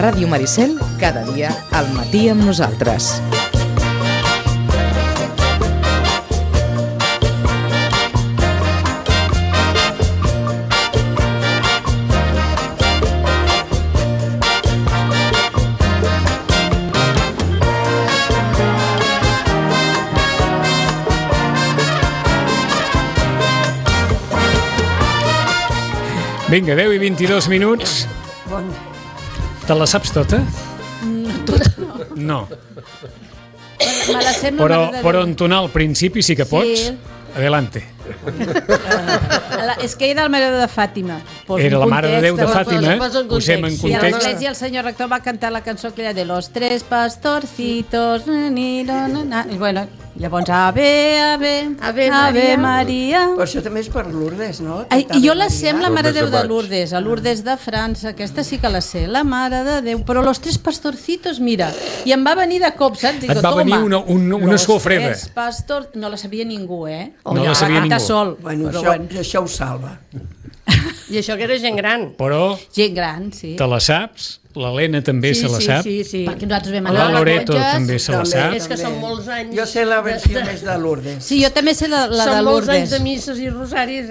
Ràdio Maricel, cada dia al matí amb nosaltres. Vinga, 10 i 22 minuts. Te la saps tota? No. Me la sé, Però entonar al principi sí que pots. Sí. Adelante. És que era el Mare de Fàtima. Era la Mare de Déu de Fàtima. Posem en I a context. l'església el senyor rector va cantar la cançó aquella de los tres pastorcitos. I bueno, llavors Ave Maria. Però això també és per Lourdes, no? Ai, i jo la sé amb la Mare Lourdes de Déu de de Baix. Lourdes, a Lourdes de França, aquesta sí que la sé, la Mare de Déu, però los tres pastorcitos, mira, i em va venir de cop, saps? Digo, Et va venir una suor freda. Los tres pastors, no la sabia ningú, No la sabia ningú. Sol, Bueno, però això ho salva. I això que era gent gran. Però gent gran, sí. te la saps, l'Helena també se la sap, Sí. Perquè nosaltres vam la anar a Loreto Monges. també se la També. sap. És que són molts anys. Jo sé la versió més de Lourdes. Sí, jo també sé la de Són molts anys Lourdes. de misses i rosaris,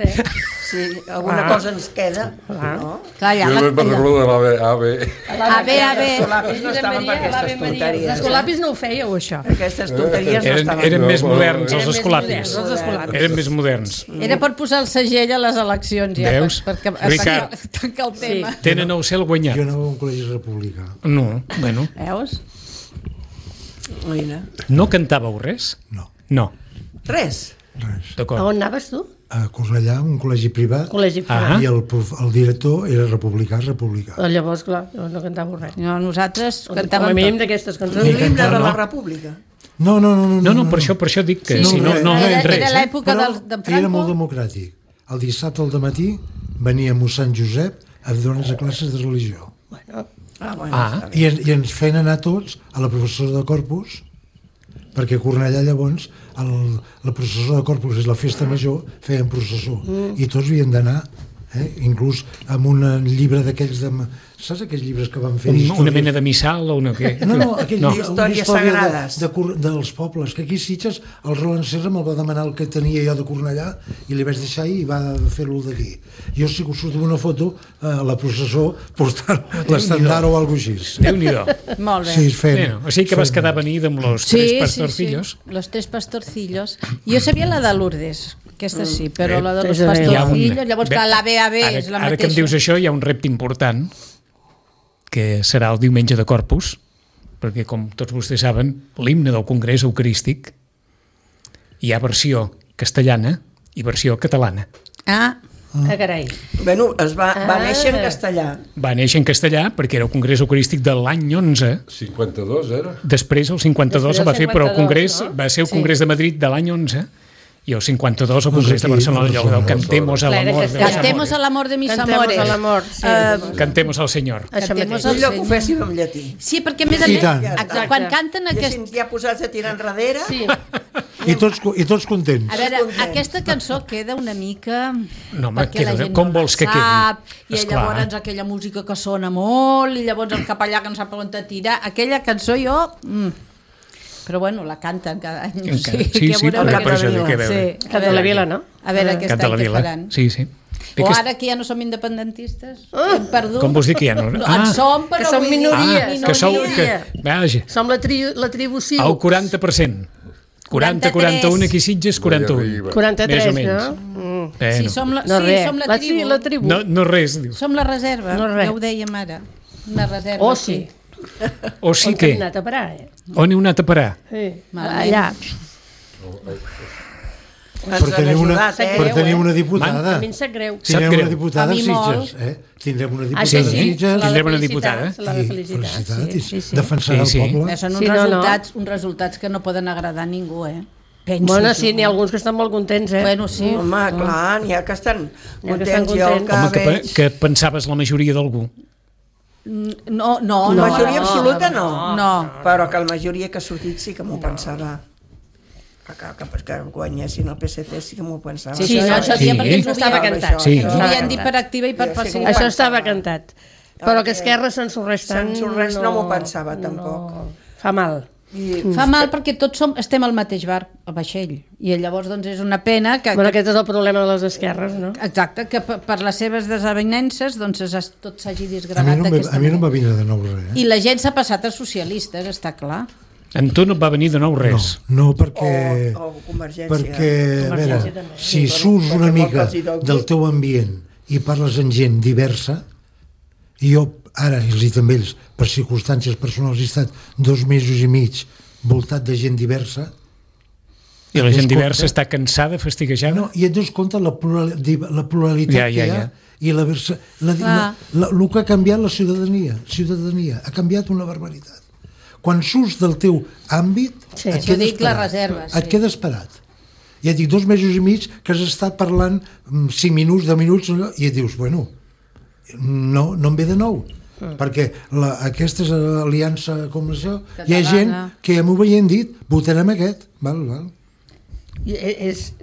Sí, alguna cosa ens queda. No? Clar, ja Jo la... me'n recordo de l'AVE. Ave. Els colapis no estaven per aquestes Els tonteries. colapis no ho fèieu, això. Aquestes tonteries no estaven. Eren més moderns, Eren els més escolapis. moderns, els escolapis. Eren més moderns. Era per posar el segell a les eleccions, ja. Veus? Perquè Ricard. tanca el tema. Tenen el cel guanyat. Jo anava a un col·legi republicà. No, bueno. Veus? Mira. No cantàveu res? No, No, Res. res. A d'acord. on anaves tu? A Cornellà, un col·legi privat, Col·legi. Ah. i el director era republicà. Llavors, clar, no cantàveu res. No, nosaltres Com a cantàvem mínim tot. d'aquestes cançons. Un himne de la no. República. No, No, per això dic que si no Era res. l'època Però d'en era molt Franco. democràtic. El dissabte al dematí venia mossèn Josep a donar-nos classes de religió. Bueno, Ah, I ens feien anar tots a la professora de Corpus, perquè a Cornellà llavors la processó de Corpus és la festa major, feien processó i tots havien d'anar, inclús amb un llibre d'aquells de... Saps aquells llibres que van fer una mena de missal o una què? No, aquell No. llibre, una Històries història sagrades. dels pobles, que aquí a Sitges el Roland Serra me'l va demanar el que tenia jo de Cornellà i li vaig deixar i va fer-lo d'aquí. Jo sí que us surto una foto a la processó portant l'estandard o alguna cosa així. Déu-n'hi-do. Molt bé. Sí, Bueno, o sigui que vas quedar a venir amb los tres pastorcillos. Sí, los tres pastorcillos. Jo sabia la de Lourdes, aquesta sí, però la de los Hi ha pastorcillos, llavors clar, la BAB Ara, és la ara que em dius mateixa. això hi ha un repte important, que serà el diumenge de Corpus, perquè com tots vostès saben, l'himne del Congrés Eucarístic hi ha versió castellana i versió catalana. Ah, Carai. Bueno, va néixer en castellà. Va néixer en castellà perquè era el Congrés Eucarístic de l'any 11, 52 era? després el 52 Després el va del fer, però el 52, Congrés no? va ser el Congrés de Madrid de l'any 11 i el 52 el Congrés de Barcelona, allò del Cantemos al amor de los cantemos al amores. amor de mis Cantemos amores. al amor, sí. Cantemos al Senyor. Això Cantemos mateix. al Millor que ho Senyor. féssim en llatí. Sí, perquè a més a I més, tant. exacte, quan canten I aquest... així ja posats a tirar enrere. Sí. I tots contents. A veure, aquesta cançó queda una mica... No, home, perquè la queda- gent com no vols la que quedi? sap, I Esclar. llavors aquella música que sona molt, i llavors el capellà que no sap on tirar. Aquella cançó jo... Però bueno, la canten cada any. Sí, sí, veurem per això aquesta dic, a veure. Sí, Canta la vila, no? A veure aquest Canta any la què vila. faran. Sí, sí. O ara que ja no som independentistes, hem perdut. Com vols dir que ja no? En som, però que som vull dir- minories. que sou... minoria. Vaja, Som la tribu el civil. 40%. 40, 41, aquí Sitges, 41. 43, Més o menys. no? Sí, Bueno, som la, No sí, res. som la tribu. La tribu. no res, dius. Som la reserva, No res. ja ho dèiem ara. Una reserva. Oh, sí. O sí On que... hem anat a parar, On heu anat a parar? Sí. Malament. Allà. Ens Per tenir han una, ajudat, per tenir una diputada. A mi em sap greu. Sap Tindrem greu. una diputada A a mi Sitges. Tindrem una diputada sí, a sí. Sitges. Tindrem una felicitar, diputada. se l'ha de felicitar. Felicitat, Sí, sí, sí. defensar Sí, sí. el poble. Són uns, Sí, no, no. uns resultats que no poden agradar a ningú, Penso Bueno, jo. sí, n'hi ha alguns que estan molt contents, Bueno, sí. Home, clar, n'hi ha que estan N'hi ha que estan contents. Jo el contents. que Home, veig... que pensaves la majoria d'algú. No, La majoria absoluta no. No. Però que la majoria que ha sortit sí que m'ho pensava. Que guanyessin el PSC sí que m'ho pensava. Sí, no, això Sí. dia perquè ens ho Estava havien, cantat. Sí. ens ho havien dit per activa i per passiva. Això estava cantat. Però que Esquerra s'ensorreix tant... S'ensorreix no m'ho pensava, tampoc. Fa mal. Fa mal perquè tots estem al mateix bar, al vaixell, i llavors doncs és una pena que... Bueno, aquest és el problema de les esquerres, no? Exacte, que per les seves desavinences doncs tot s'hagi A disgregat mi no, d'aquesta a mi no em va manera. vindre de nou res. I la gent s'ha passat a socialistes, està clar. En tu no et va venir de nou res. No, perquè... O Convergència. Perquè, a veure, Convergència també. si Sí, surts perquè una vol mica que els hi doni. del teu ambient i parles amb gent diversa, i jo ara, i els dic amb ells, per circumstàncies personals, he estat 2 mesos i mig voltat de gent diversa, I la Et gent dones diversa compte? està cansada, fastiguejada? no, i et dones compte la pluralitat Ja, que hi ha i el que ha canviat la ciutadania ha canviat una barbaritat. Quan surts del teu àmbit Sí. et Jo quedes dic les parat. reserves, Et sí. quedes parat. Ja et dic 2 mesos i mig que has estat parlant 5 minuts, 10 minuts i et dius, bueno, no em ve de nou, perquè aquesta aliança com això, hi ha Catalana. gent que ja m'ho havien dit, votarem aquest, val. I és...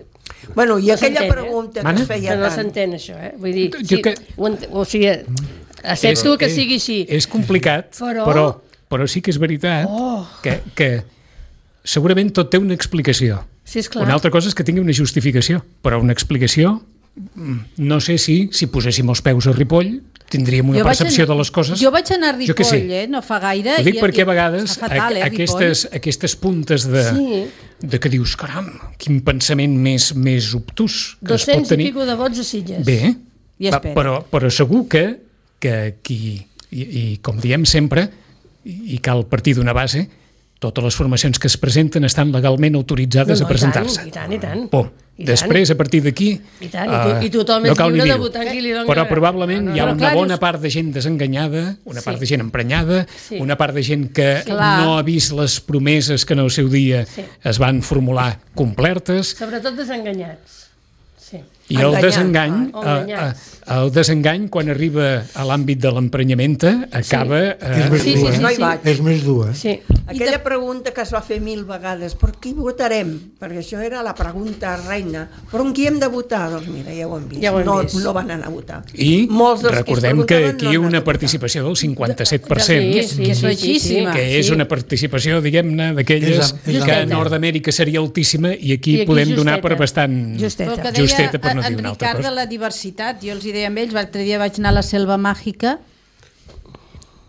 Bueno, i No aquella s'entén, pregunta que Mana? es feia Que no tant. s'entén, això, Vull dir, Jo que- o sigui, accepto que sigui així. És complicat, però sí que és veritat que segurament tot té una explicació. Sí, esclar. Una altra cosa és que tingui una justificació, però una explicació, no sé si poséssim els peus a Ripoll tindríem una percepció de les coses. Jo vaig anar a Jo què sé. Ripoll, no fa gaire. Ho dic perquè a vegades està fatal, aquestes puntes de que dius, caram, quin pensament més obtús que es pot 200 i tenir. pico de vots a Sitges. Bé, I espera. però segur que qui, i com diem sempre, i cal partir d'una base, totes les formacions que es presenten estan legalment autoritzades a presentar-se. I tant. Pum. I Després, a partir d'aquí... I tant, i tothom és cal ni lliure de dir-ho. votar qui li doni Però la gana. probablement hi ha Però una clar, bona dius- part de gent desenganyada, una part de gent emprenyada, Sí. una part de gent que Clar. no ha vist les promeses que en el seu dia Sí. es van formular complertes, Sobretot desenganyats. Sí. i el Enganyats. desengany quan arriba a l'àmbit de l'emprenyament acaba... És més Sí, dur, sí, No hi sí. vaig. És més dur, Sí. Aquella pregunta que es va fer 1000 vegades, per qui votarem? Perquè això era la pregunta reina. Per on qui hem de votar? Doncs mira, ja ho hem vist. Ja ho hem vist. No van anar a votar. I Molts dels recordem es que preguntaven aquí no hi ha han una anat a votar. participació del 57%, Sí, és baixíssima. que és una participació, diguem-ne, d'aquelles És que a justeta. Nord-Amèrica seria altíssima i aquí I aquí podem donar justeta. per bastant Justeta. Però el que deia justeta, per no dir en una altra Ricard cosa. de la diversitat, jo els hi deia amb ells, l'altre dia vaig anar a la Selva Màgica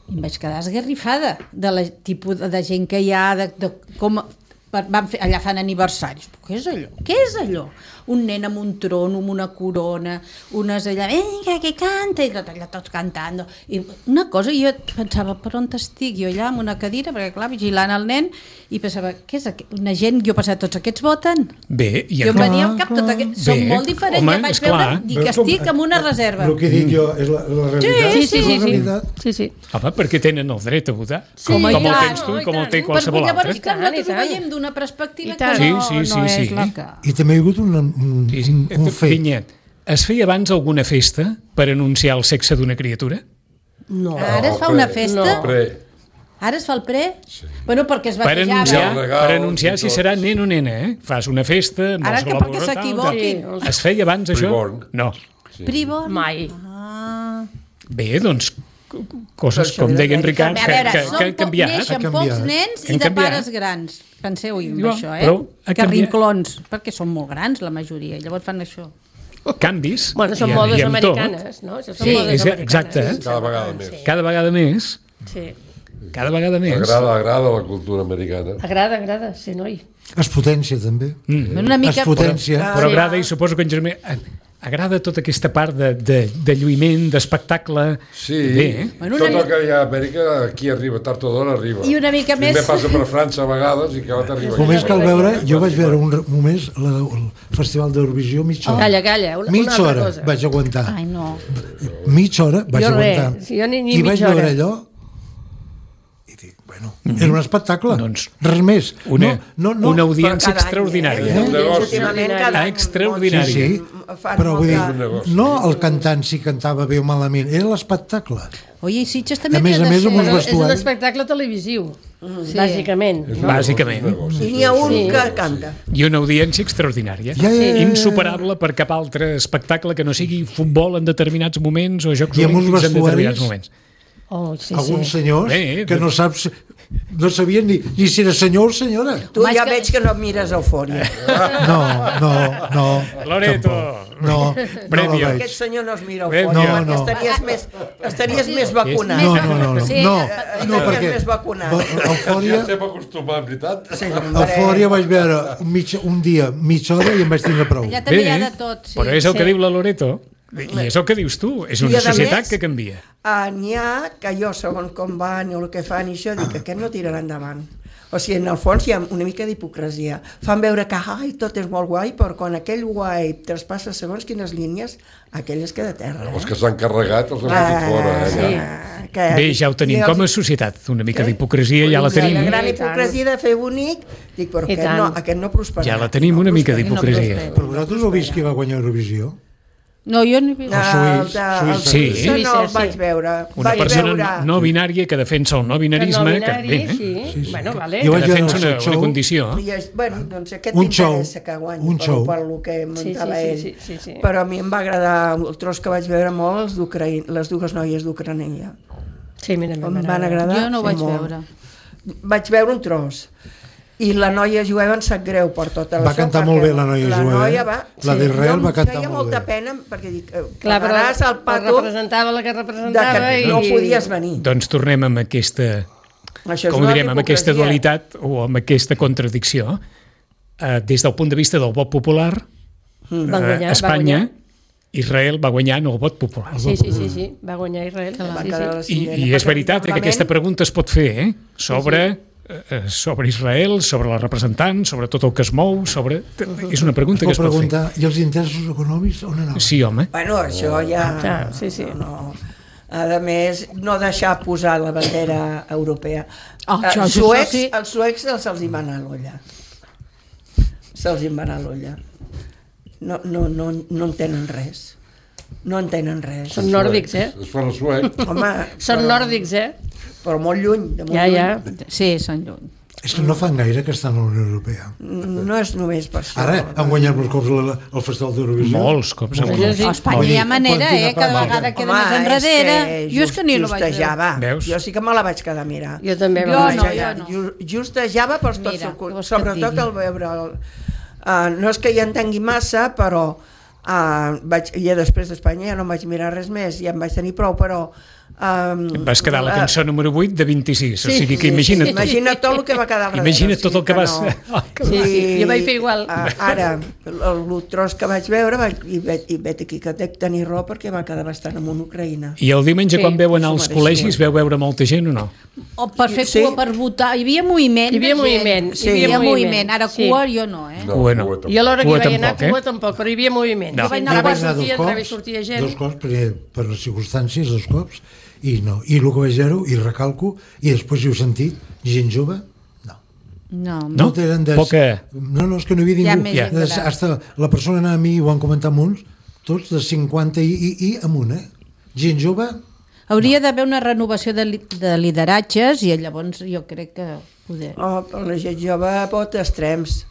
i em vaig quedar esgarrifada de la tipus de gent que hi ha, de com van fer, allà fan aniversaris. Què és allò? Què és allò? Un nen amb un tron, amb una corona, unes allà, vinga, que canta, i tot allà tots cantant. I una cosa, jo pensava, per on estic? Jo allà amb una cadira, perquè clar, vigilant el nen, i pensava, què és aquest? Una gent, jo pensava, tots aquests voten? Bé, i Jo em venia al cap tot aquest... Són Bé, molt diferents, home, ja vaig esclar. veure, dic que estic en una reserva. El que he dit jo és la realitat. Sí, és la realitat. Sí. Home, perquè tenen el dret a votar, Sí, com el clar, tens tu no, i com i el té tant. qualsevol Perquè llavors, altre. clar, nosaltres I ho tant. veiem d'una perspectiva I que tant. no, Sí, no és sí. la que... I també hi ha hagut un fet. Vinyet, es feia abans alguna festa per anunciar el sexe d'una criatura? No. Ara es fa una festa? No. Pre. Ara es fa el pre? Bueno, perquè es Per batejava. anunciar, els regals per anunciar i si tot. serà nen o nena, Fas una festa amb Ara els que globus perquè tal, s'equivoquin. tal. Es feia abans això? Preborn. No. Privon? Mai. Bé, doncs, coses Però com això deia en era- Ricard, A veure, que han canviat. neixen Ha canviat. pocs nens i Han de canviat. pares grans. Penseu-hi en Diu, això, però ha que canviat. rinclons, perquè són molt grans la majoria, llavors fan això. Canvis. Bueno, són i- modes i amb tot. americanes, no? Això són Sí, modes és- americanes. exacte. Cada vegada més. Cada vegada més. Sí. Cada vegada més. Agrada la cultura americana. Agrada, sí, noi. Es potència, també. Una Es mica... potència. Però Sí. agrada, i suposo que en Germà agrada tota aquesta part de lluïment, d'espectacle. Sí, Bé, Bueno, tot una el que hi ha a Amèrica, aquí arriba, tard o d'hora arriba. I una mica Primer més- passa per França a vegades i que ara t'arriba. Només aquí. cal veure, jo vaig veure només el Festival d'Eurovisió mitja hora. Calla, una Mitja altra hora cosa. vaig aguantar. Ai, no. Mitja hora vaig Jo res, aguantar. si jo ni I vaig mitja hora. veure allò i dic, bueno, era un espectacle. Doncs Res més. una audiència Però cada any, extraordinària. Un negoci. Últimament cada any Extraordinari. Sí, fan però vull dir, Un negoci. no el cantant si cantava bé o malament, era l'espectacle. Oye, i Sitges també A més havia a de més, amb ser- uns Però és un vestuari. espectacle televisiu, Sí. bàsicament. És No? un Bàsicament. negoci. I n'hi ha un Sí. que canta. I una audiència extraordinària. Ja. Insuperable per cap altre espectacle que no sigui futbol en determinats moments o jocs I amb uns olímpics en determinats vestuaris moments. alguns senyors Bé, que no saps, no sabien ni si era senyor o senyora. Tu ja veig que no mires Eufòria. No. Loreto. Tampoc. No Prèmio. la veig. Aquest senyor no es mira Prèmio. Eufòria, No. perquè estaries més vacunat. No, Sí. no, perquè més vacunat. Eufòria, Ja estem acostumats, veritat? Sí, Eufòria vaig veure un dia, mitja hora i em vaig tindre prou. Allà també hi ha de tot, sí. Però és el que diu la Loreto, i és el que dius tu, és I, una a societat més, que canvia. N'hi ha que jo, segons com van i el que fan i això, dic que aquest no tirarà endavant. O sigui, en el fons hi ha una mica d'hipocresia. Fan veure que tot és molt guai, però quan aquell guai traspassa segons quines línies, aquell es queda a terra. Els que s'han carregat els han fotut fora. Ja. Bé, ja ho tenim com a societat, una mica d'hipocresia ja la tenim. La gran hipocresia de fer bonic, dic, però aquest no prosperarà. Ja la tenim una mica d'hipocresia. Però vosaltres heu vist qui va guanyar Eurovisió? No, jo no he vist. El Sí. suïssa no el vaig veure. Una Vaig persona veure- no binària que defensa el no binarisme, que, bé, sí. Bueno, vale. Jo que vaig veure defensa el seu una show. condició. Bueno, doncs aquest Un show, m'interessa que guanyi un show. per el que muntava ell. Sí. Però a mi em va agradar el tros que vaig veure molt les dues noies d'Ucraïna. Sí, mira, Em van agradar Jo no ho vaig molt. veure. Vaig veure un tros. I la noia jueva em sap greu per tota la Va cantar molt bé la noia jueva, noia eh? va, La d'Israel va cantar feia molt molta bé. pena perquè dic, Clar, però pagaràs el pato representava la que de representava que no podies venir. Doncs tornem amb aquesta, Això és com una direm, amb aquesta hipocresia. dualitat o amb aquesta contradicció. Des del punt de vista del vot popular, Espanya, Israel va guanyar en el vot popular. Sí, va guanyar Israel. Va Sí, quedar a la sí. cinquena, I és perquè veritat el que Parlament- aquesta pregunta es pot fer, sobre Israel, sobre la representant, sobre tot el que es mou, és una pregunta que es pot fer. preguntar, i els interessos econòmics on anaven? Sí, home. Bueno, això ja... Clar, sí. No. A més, no deixar posar la bandera europea. Això sí. Els suecs se'ls hi va anar l'olla. Se'ls hi va anar l'olla. No entenen res. No entenen res. Són nòrdics, Es fan el suec. Home, Són nòrdics, però molt lluny. De molt Ja. lluny. Sí, són lluny. És que no fan gaire que estan a la Unió Europea. No és només per això. Ara han guanyat molts cops el Festival d'Eurovisió. Molts cops. Sí. A Espanya hi ha manera, cada vegada queda més enrere. Jo és que ni no vaig veure. Justejava. Veus? Jo sí que me la vaig quedar a mirar. Jo també. Jo vaig no, veure. jo no. Justejava per tots Mira, els què vols que et sobretot digui? el veure no és que hi entengui massa, però ja després d'Espanya ja no em vaig mirar res més, ja em vaig tenir prou, però Vas quedar la cançó número 8 de 26, o sigui que imagina't tot. imagina't tot el que va quedar al darrere. Imagina't tot el que vas... Sí, jo vaig fer igual. Ara, el tros que vaig veure, i veig aquí que dec tenir raó perquè va quedar bastant amb una Ucraïna. I el diumenge, Sí, quan veu anar s'ho als mereixia. col·legis, veu veure molta gent o no? O per fer Sí. cua, per votar. Hi havia moviment. Hi havia de gent. moviment, Sí, hi havia moviment. Ara sí. cua jo no, Cua no. Jo a l'hora que hi Cua vaig anar, tampoc, cua tampoc, però hi havia moviment. No. Sí, vaig anar entrava i vaig anar sortia, entrava i sortia gent. dos cops per les circumstàncies, dos cops, i no. I el que vaig veure, i recalco, i després hi heu sentit, gent jove, no. No? tenen Poca. No, és que no hi havia Hi ha ningú. més gent gran. Hasta la persona anava a mi, ho han comentat molts, tots de 50 i amunt, Gent jove, Hauria d'haver una renovació de lideratges i llavors jo crec que poder... Però la gent jove vota extrems.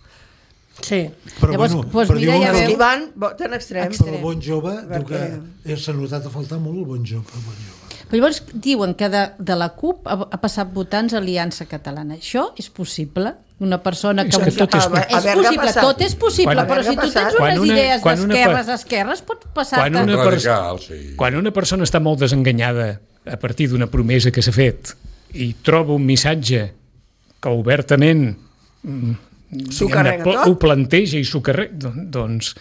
Sí. però Llavors, bueno, doncs per mira, dir ja un Els veu. que hi van voten extrems. però el bon jove, diu Perquè- que s'ha notat a faltar molt el bon jove. Però llavors diuen que de la CUP ha passat votants a Aliança Catalana. Això és possible? Una persona És que... que tot és A veure, És què ha possible, passat? tot és possible, Quan- però si tu tens Quan unes una- idees quan una d'esquerres, pot passar... Quan una, Radical, sí. quan una persona està molt desenganyada a partir d'una promesa que s'ha fet i troba un missatge que obertament S'ho carrega tot? ho planteja i s'ho carrega, doncs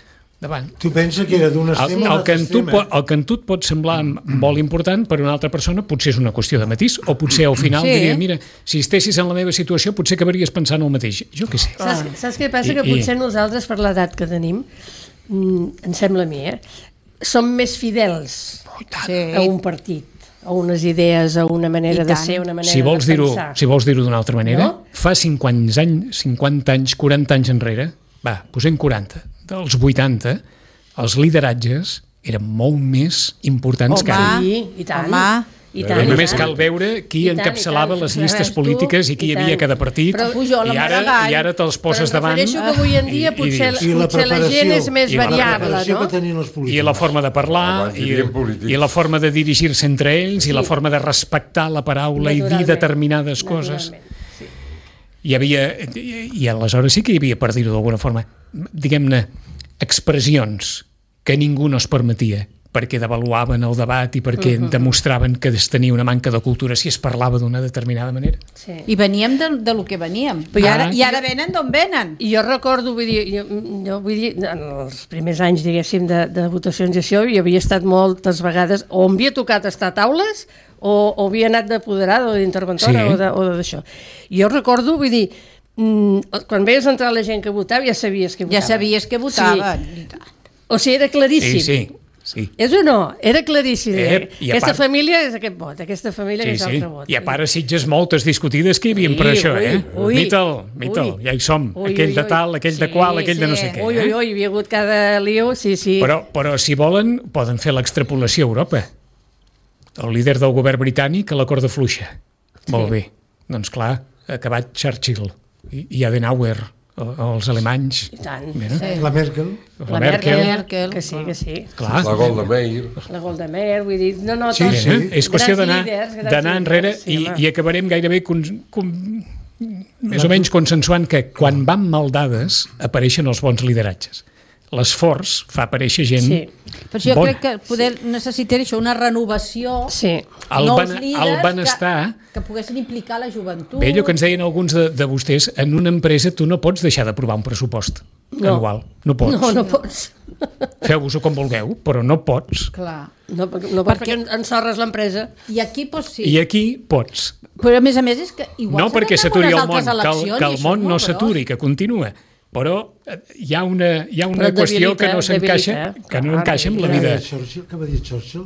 davant. Tu pensa que era d'un extrem a El que, en tu, l'altre extrem, el que en tu et pot semblar molt important, per una altra persona potser és una qüestió de matís, o potser al final Sí. diria, mira, si estessis en la meva situació potser acabaries pensant el mateix. Jo què sé. Saps què passa? Que I- potser nosaltres, per l'edat que tenim, em sembla a mi, som més fidels a un partit, a unes idees, a una manera I de tant. ser, una manera Si vols de dir-ho pensar. si vols dir-ho d'una altra manera, No? fa 50 anys, 40 anys enrere, posem 40, dels 80, els lideratges eren molt més importants que ara. Sí, i tant. Home, I tant, Només i tant. cal veure qui I tant, encapçalava i tant. les llistes Veus tu? polítiques i qui hi I havia a tant. cada partit, Però Pujol, i ara te'ls poses Però em davant refereixo que avui en dia potser I la la gent és més i la variable, preparació no? que tenien els polítics. i la forma de parlar, Abans hi havia polítics. i la forma de dirigir-se entre ells, i la forma de respectar la paraula i dir Naturalment. determinades coses. Naturalment, sí. Hi havia, i aleshores sí que hi havia, per dir-ho d'alguna forma, diguem-ne, expressions que ningú no es permetia, perquè devaluaven el debat i perquè demostraven que es tenia una manca de cultura si es parlava d'una determinada manera. Sí. I veníem de lo que veníem. Però I ara venen d'on venen. I jo recordo, vull dir, jo vull dir, en els primers anys, diguéssim, de votacions i això, jo havia estat moltes vegades, o em havia tocat estar a taules, o havia anat d'apoderada o d'interventora Sí. o d'això. I jo recordo, vull dir, quan veies entrar la gent que votava, ja sabies que Ja votava. sabies que votaven. Sí. O sigui, era claríssim. Sí. És o no? Era claríssim. I a Aquesta part- família és aquest vot, aquesta família és Sí. l'altre vot. I a part a Sitges moltes discutides que hi havia Sí, per això, ui. Mitel, Ui. ja hi som. Ui, Aquell ui, de ui. tal, aquell de Sí, qual, aquell de no sí. sé què. Ui, ui, ui, hi havia hagut cada lío, sí. Però si volen, poden fer l'extrapolació a Europa. El líder del govern britànic a la corda fluixa. Molt bé. Doncs clar, ha acabat Churchill i Adenauer, els alemanys. I tant. Mira, La Merkel. la Merkel. Merkel. Que sí. Clar. La Golda Meir. La Golda Meir, vull dir, no, Sí, tots. sí. És qüestió Grans líders, grans d'anar enrere líders, sí, home. i acabarem gairebé més o menys consensuant que quan van mal dades apareixen els bons lideratges. L'esforç fa aparèixer gent Sí. Per això jo bona. crec que poder necessitar això, una renovació, Sí. El, nous ben, líders el benestar... que poguessin implicar la joventut. Bé, allò que ens deien alguns de vostès, en una empresa tu no pots deixar d'aprovar un pressupost anual. No pots. No pots. Feu-vos-ho com vulgueu, però no pots. Clar. No pots perquè ensorres l'empresa. I aquí, doncs sí. I aquí pots. Però a més és que igual No perquè s'aturi el món, altres eleccions, que i el això és món no molt s'aturi, que continua. Però hi ha una Però qüestió que no debilita, s'encaixa que no encaixa amb la vida. Què va dir Churchill?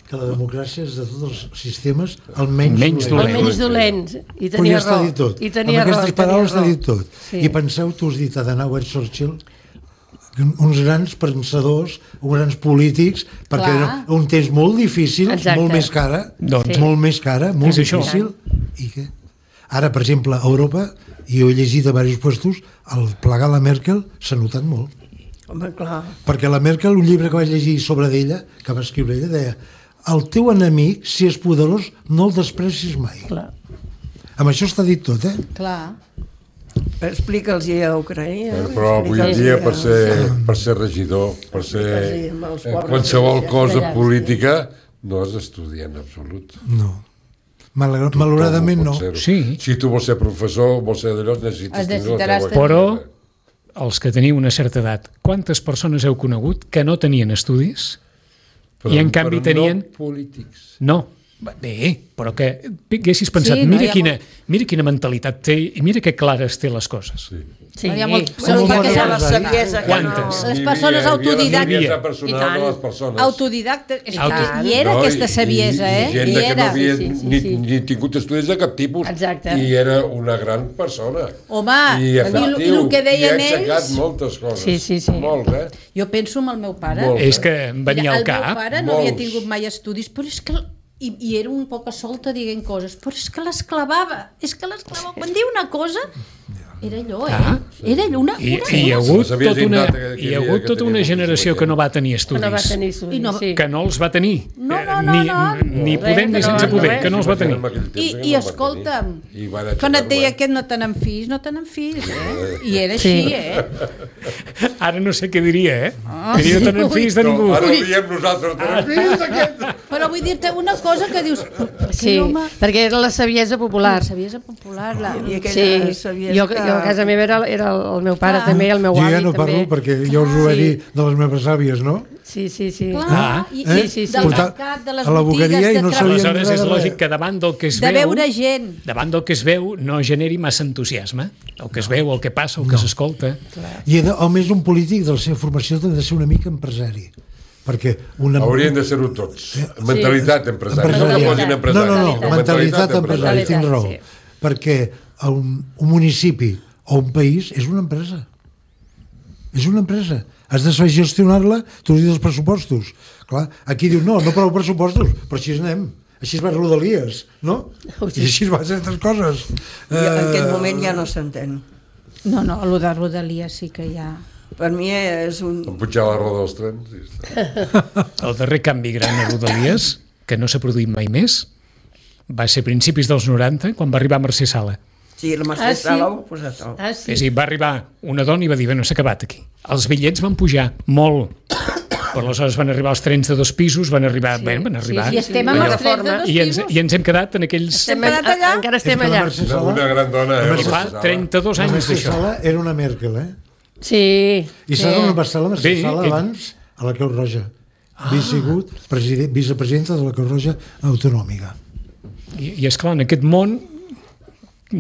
Que la democràcia és de tots els sistemes el menys, Menys dolent. El menys dolent. I Però tenia ja està raó. dit tot. I tenia Amb raó. aquestes i tenia paraules està raó. dit tot. Sí. I penseu, tu has dit Adenauer, Churchill, uns grans pensadors, uns grans polítics, perquè Clar. era un temps molt difícil, Exacte. molt més cara, Doncs. molt més cara, molt És això. difícil. I què? Ara, per exemple, a Europa, i ho he llegit a diversos puestos, el plegar la Merkel s'ha notat molt. Home, clar. Perquè la Merkel, un llibre que vaig llegir sobre d'ella, que va escriure ella, deia: el teu enemic, si és poderós, no el desprecis mai. Clar. Amb això està dit tot, Clar. Explica'ls a Ucraïna. Però avui en dia per ser regidor, per ser qualsevol cosa política, no has d'estudiar en absolut. No. Malauradament no. Sí. Si tu vols ser professor, vols ser d'allò, necessites Necessitaràs tenir la Però els que teniu una certa edat, quantes persones heu conegut que no tenien estudis i en canvi tenien... no polítics. No, bé, però que haguessis pensat, Sí, no, mira quina mentalitat té i mira que clares té les coses. Sí. Hi ha molt- Com perquè bona són la saviesa que Quantes? Les persones autodidactes. La personal de les persones. Autodidactes. És Auto- que hi era aquesta saviesa, I gent Hi que no era. havia Sí, sí, ni, sí. ni tingut estudis de cap tipus. Exacte. I era una gran persona. Home, I efectiu, i el que deien i ha aixecat ells- moltes coses. Sí. Molts, Jo penso en el meu pare. Molt. És que em venia al El meu cap. pare no havia molts. tingut mai estudis, però és que... I era un poc solta dient coses, però és que l'esclavava. Quan diu una cosa, era allò, Ah. Era allò, una I hi ha La hagut saviesa tota una, innata que hi ha havia, hagut que tota una tenia generació moltíssima que no gent. va tenir Que estudis. no va tenir estudis, I no- sí. Que no els va tenir. No, Ni Res, podent ni que sense no, poder, res. que no els va tenir. I escolta'm, quan et deia que no tenen fills, no tenen fills, I era així, Sí. Ara no sé què diria, Diria no tenen fills de No, ningú. ara ho diem nosaltres. Fills aquest! Però vull dir-te una cosa que dius... Sí, perquè era la saviesa popular. La saviesa popular, I aquella Sí, saviesa jo a casa meva era el meu pare també, el meu Jo avi ja no també. parlo perquè jo us ho vaig dir de les meves àvies, no? Sí. Clar, sí. del mercat, de les A la boqueria botigues, i no de sabien Aleshores és res. lògic que davant del que es de veu... veure gent. Davant del que es veu no generi massa entusiasme. El que es veu, el que passa, el que s'escolta. I a més un polític de la seva formació ha de ser una mica empresari. Perquè una... Haurien de ser-ho tots. Mentalitat empresària. No Empresarial. posin empresari. No, mentalitat empresari, tinc raó. sí. Perquè un municipi o un país és una empresa. És una empresa. Has de saber gestionar-la, tu dius els pressupostos. Clar, aquí diu, no prou pressupostos, però així anem. així va Rodalies, no? I així va ser altres coses. I en aquest moment ja no s'entén. No, el de Rodalia sí que ja... Per mi és un... Pujar la roda dels trens i està. El darrer canvi gran a Rodalies, que no s'ha produït mai més, va ser a principis dels 90, quan va arribar Mercè Sala. Sí, la Mercè Sala ho ha posat tot. És a dir, va arribar una dona i va dir, no s'ha acabat aquí. Els bitllets van pujar molt, però aleshores van arribar els trens de 2 pisos, van arribar... I estem amb els trens de 2 pisos. I ens hem quedat en aquells... Encara estem allà. Una gran dona, Fa 32 anys Mercè d'això. Sala era una Merkel, Sí. I saps on va estar la Mercè Sí, Sala abans? A la Creu Roja. Havia sigut vicepresidenta de la Creu Roja Autonòmica. I esclar, en aquest món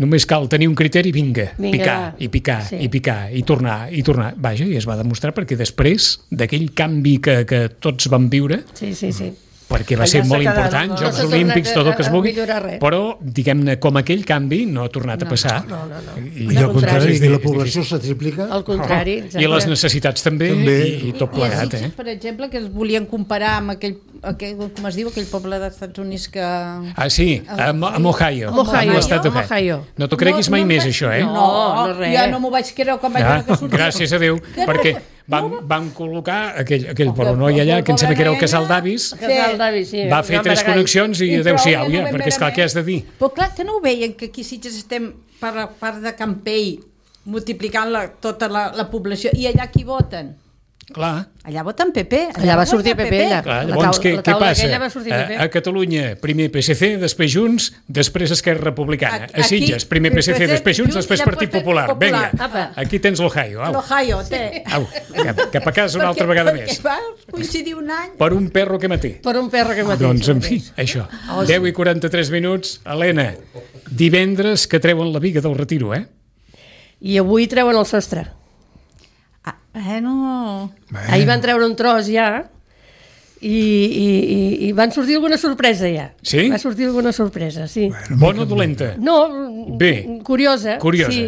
només cal tenir un criteri, vinga, picar, i picar, i tornar. Vaja, i es va demostrar perquè després d'aquell canvi que tots vam viure, Sí. perquè va ser molt important, Jocs Olímpics, tot el que es vulgui, però, diguem-ne, com aquell canvi no ha tornat a passar. No. I al contrari, la població s'ha triplicat. Al contrari, exacte. I les necessitats també, i tot plegat. Per exemple, que es volien comparar amb aquell com es diu, aquell poble dels Estats Units que... Sí, amb Ohio. Ohio. Amb l'estat d'Ohio. No t'ho creguis mai més, això, No, res. jo no m'ho vaig creure quan vaig veure que sortia. Gràcies a Déu, perquè van col·locar aquell polonoi allà, que em sembla que era el Casal d'Avis, va fer 3 connexions i adeu-siau, ja, perquè esclar, què has de dir? Però clar, que no ho veien, que aquí sí que estem per la part de Campell multiplicant tota la població, i allà qui voten? Clar. Allà voten PP. Allà va sortir PP, allà. Clar, llavors, què passa? A Catalunya, primer PSC, després Junts, després Esquerra Republicana. A Sitges, primer PSC, després Junts, després Partit Popular. Vinga, aquí tens l'Ohio. L'Ohio, té. Cap a casa una altra vegada més. Perquè va coincidir un any. Per un perro que maté. Per un perro que mateix. Doncs, en fi, això. 10 i 43 minuts. Helena, divendres que treuen la Biga del Retiro, I avui treuen el sostre. Bueno... Ahir van treure un tros ja i van sortir alguna sorpresa ja. Sí? Va sortir alguna sorpresa, sí. Bona o dolenta? No, bé. Curiosa.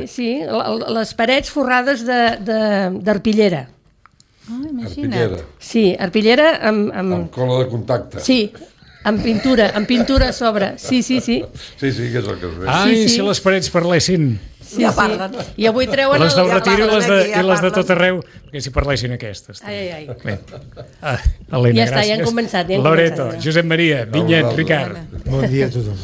Sí, les parets forrades d'arpillera. Imagina't. Sí, arpillera amb cola de contacte. Sí, amb pintura a sobre. Sí. Sí, que és el que es ve. Ai, si les parets parlessin. Ja parlen. I avui treuen... Les del Retiro i les de tot arreu, perquè si parlessin aquestes. Ai. Bé. Helena, Ja està, gràcies. ja han començat. Loreto, Josep Maria, Vinyet, Ricard. Bon dia a tothom.